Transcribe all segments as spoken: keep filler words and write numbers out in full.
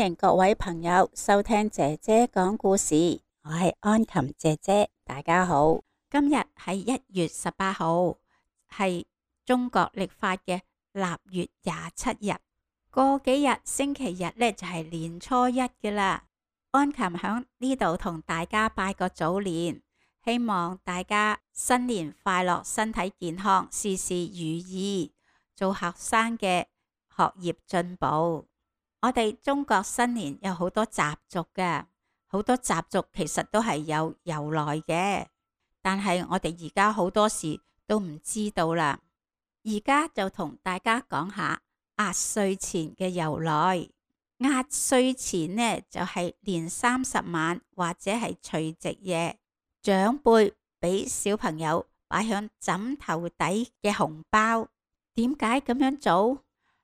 迎各位朋友收聽姐姐講故事，我係安琴姐姐，大家好。今日係一月十八號，係中國曆法嘅臘月廿七日。過幾日星期日呢，就係年初一嘅啦。安琴響呢度同大家拜個早年，希望大家新年快樂，身體健康，事事如意，做學生嘅學業進步。我哋中國新年有好多習俗嘅，好多習俗其實都係有由來嘅，但係我哋而家好多時都唔知道啦。而家就同大家講下壓歲錢嘅由來。壓歲錢呢，就係年三十晚或者係除夕夜，長輩俾小朋友擺響枕頭底嘅紅包。點解咁樣做？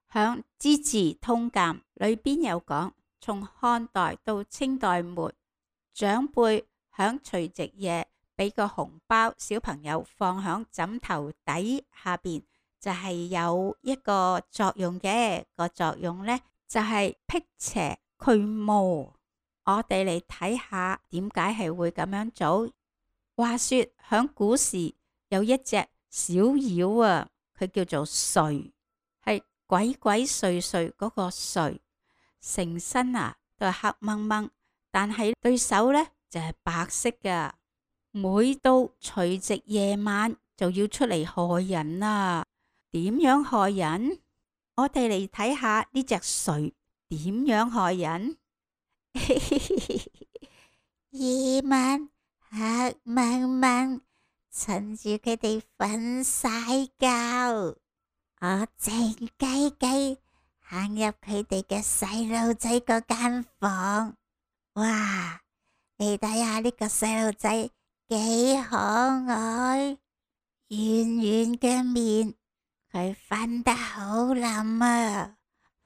響《資治通鑑》裏邊有講，從漢代到清代末，長輩響除夕夜俾個紅包，小朋友放響枕頭底下邊，就係有一個作用嘅。個作用呢，就係辟邪驅魔。我哋嚟睇下點解係會咁樣做。話說響古時有一隻小妖啊，佢叫做祟，係鬼鬼祟祟嗰個祟，成身啊都係黑掹掹，但係對手呢就係白色㗎。每到除夕夜晚就要出嚟害人啦。點樣害人？我哋嚟睇下呢隻祟點樣害人。夜晚黑掹掹，趁住佢哋瞓晒覺，我靜雞雞行入佢哋嘅細路仔嗰間房。哇！你睇下呢個細路仔幾可愛，圓圓嘅面，佢瞓得好冧啊，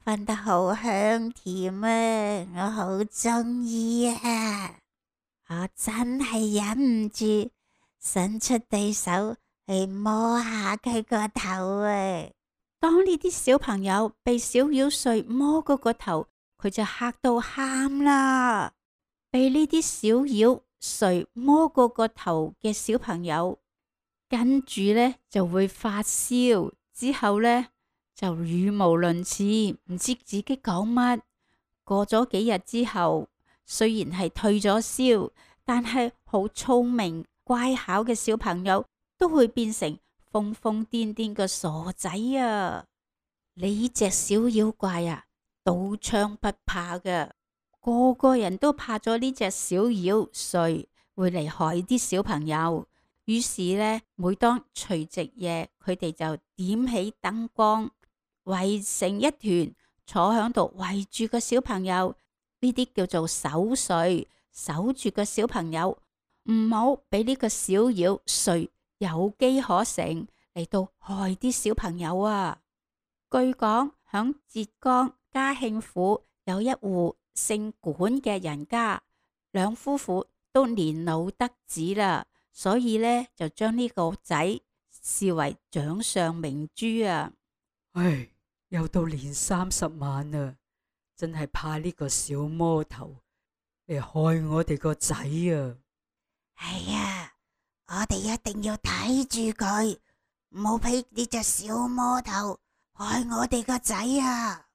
瞓得好香甜啊，我好中意啊！我真係忍唔住，伸出對手去摸下佢個頭啊！當呢啲小朋友被小妖祟摸嗰個頭，佢就嚇到喊啦。被呢啲小妖祟摸過個頭嘅小朋友，跟住呢就會發燒，之後呢就語無倫次，唔知自己講乜。過咗幾日之後，雖然係退咗燒，但係好聰明乖巧嘅小朋友都會變成瘋瘋癲癲嘅傻仔啊！呢隻小妖怪啊，刀槍不怕㗎，個個人都怕咗呢隻小妖祟會嚟害啲小朋友。於是呢，每當除夕夜，佢哋就點起燈光，圍成一團，坐響度圍住個小朋友。呢啲叫做守歲，守住個小朋友，唔好俾呢個小妖祟有機可乘嚟到害啲小朋友啊！據講響浙江嘉興府有一戶姓管嘅人家，兩夫婦都年老得子啦，所以呢就將呢個仔視為掌上明珠啊！唉，又到年三十晚啦，真係怕呢個小魔頭嚟害我哋個仔啊！係啊，我哋一定要睇住佢，唔好俾呢隻小魔頭害我哋個仔啊！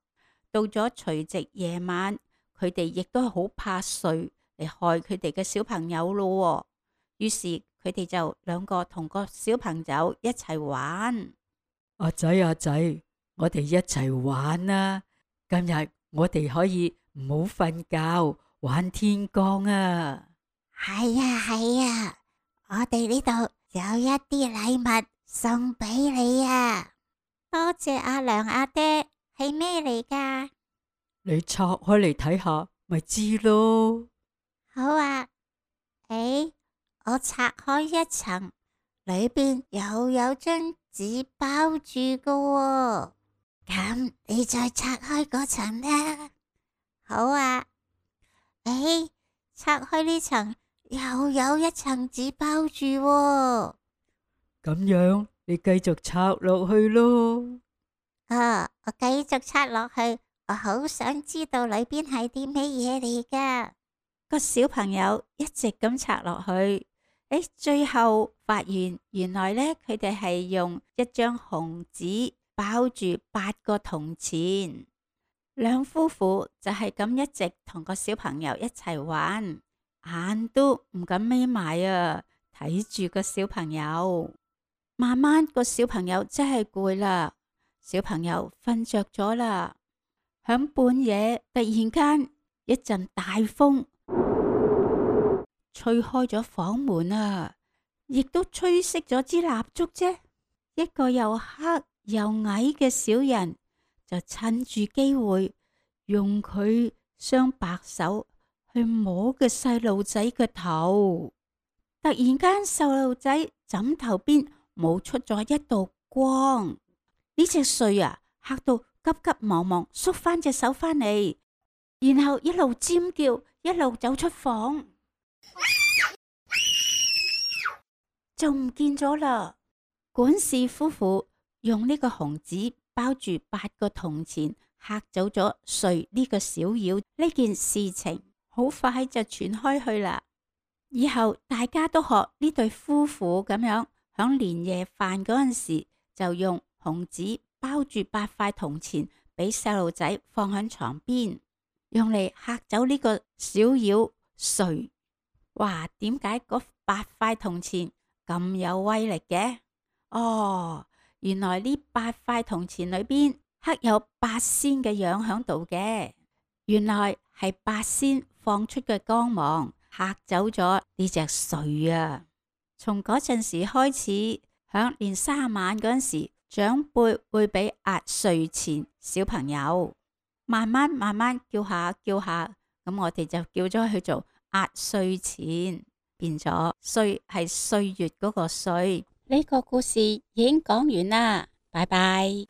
到咗除夕夜晚，佢哋亦都好怕祟嚟害佢哋嘅小朋友咯。於是佢哋就兩個同個小朋友一齊玩。阿仔阿仔，我哋一齊玩啊！今日我哋可以唔好瞓覺，玩天光啊！係啊係啊，我哋呢度有一啲禮物送俾你啊！多謝阿娘阿爹，係咩嚟噶？你拆開嚟睇下，咪知咯。好啊，誒，我拆開一層，裏邊又有張紙包住噶喎。咁你再拆開嗰層啦。好啊，誒，拆開呢層又有一層紙包住喎。咁樣你繼續拆落去咯。啊，我繼續拆落去，我好想知道裏邊係啲咩嘢嚟噶。個小朋友一直咁拆落去，誒，最後發現原來呢，佢哋係用一張紅紙包住八個銅錢。兩夫婦就係咁一直同個小朋友一齊玩，眼都唔敢眯埋啊，睇住個小朋友。慢慢個小朋友真係攰啦，小朋友瞓着咗啦。響半夜突然間一陣大風吹開咗房門啊，亦都吹熄咗支蠟燭啫。一個又黑又矮嘅小人就趁住機會，用佢雙白手去摸個細路仔嘅頭。突然間，細路仔枕頭邊冒出咗一道光。呢隻祟啊，嚇到急急忙忙縮翻隻手翻嚟，然後一路尖叫，一路走出房，就唔見咗啦。管事夫婦用呢個紅紙包住八個銅錢，嚇走咗祟呢個小妖。呢件事情好快就傳開去啦。以後大家都學呢對夫婦咁樣，響年夜飯嗰陣時就用紅紙包住八塊銅錢，俾細路仔放喺床邊，用嚟嚇走呢個小妖祟。哇！點解嗰八塊銅錢咁有威力嘅？哦，原來呢八塊銅錢裏邊刻有八仙嘅樣響度嘅，原來係八仙放出嘅光芒嚇走咗呢隻祟啊！從嗰陣時開始，響年卅晚嗰陣時，長輩會俾壓歲錢小朋友，慢慢慢慢叫下叫下，咁我哋就叫咗佢做壓歲錢，變咗歲係歲月嗰個歲。呢個故事已經講完啦，拜拜。